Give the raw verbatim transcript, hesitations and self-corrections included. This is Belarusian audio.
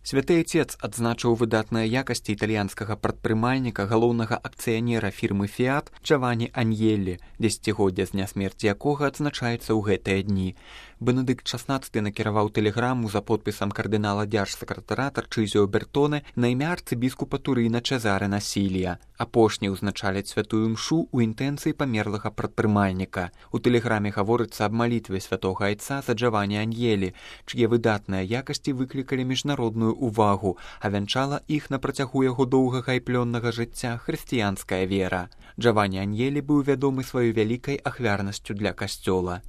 Святы Отец адзначыў выдатныя якасці італьянскага прадпрымальніка, галоўнага акцыянера фірмы «Фіат» Джавані Аньелі, дзесяцігоддзе з дня смерці якога адзначаецца ў гэтыя дні. Бенедыкт шаснаццаты накіраваў тэлеграму за подпісам кардынала дзяржсакратара Тарчызіо Бертоне на імя арцыбіскупа Турына Чезаре Насілія. Апошні ўзначаліць святую мшу ў інтэнцыі памерлага прадпрымальніка. У тэлеграме гаворыцца аб малітве святога айца за Джавані Аньелі, чые выдатныя якасці выклікалі міжнародную увагу, а вянчала іх на працягу яго доўгага і плённага жыцця хрысціянская вера. Джавані Аньелі быў вядомы сваёй вялікай ахвярнасцю для касцёла.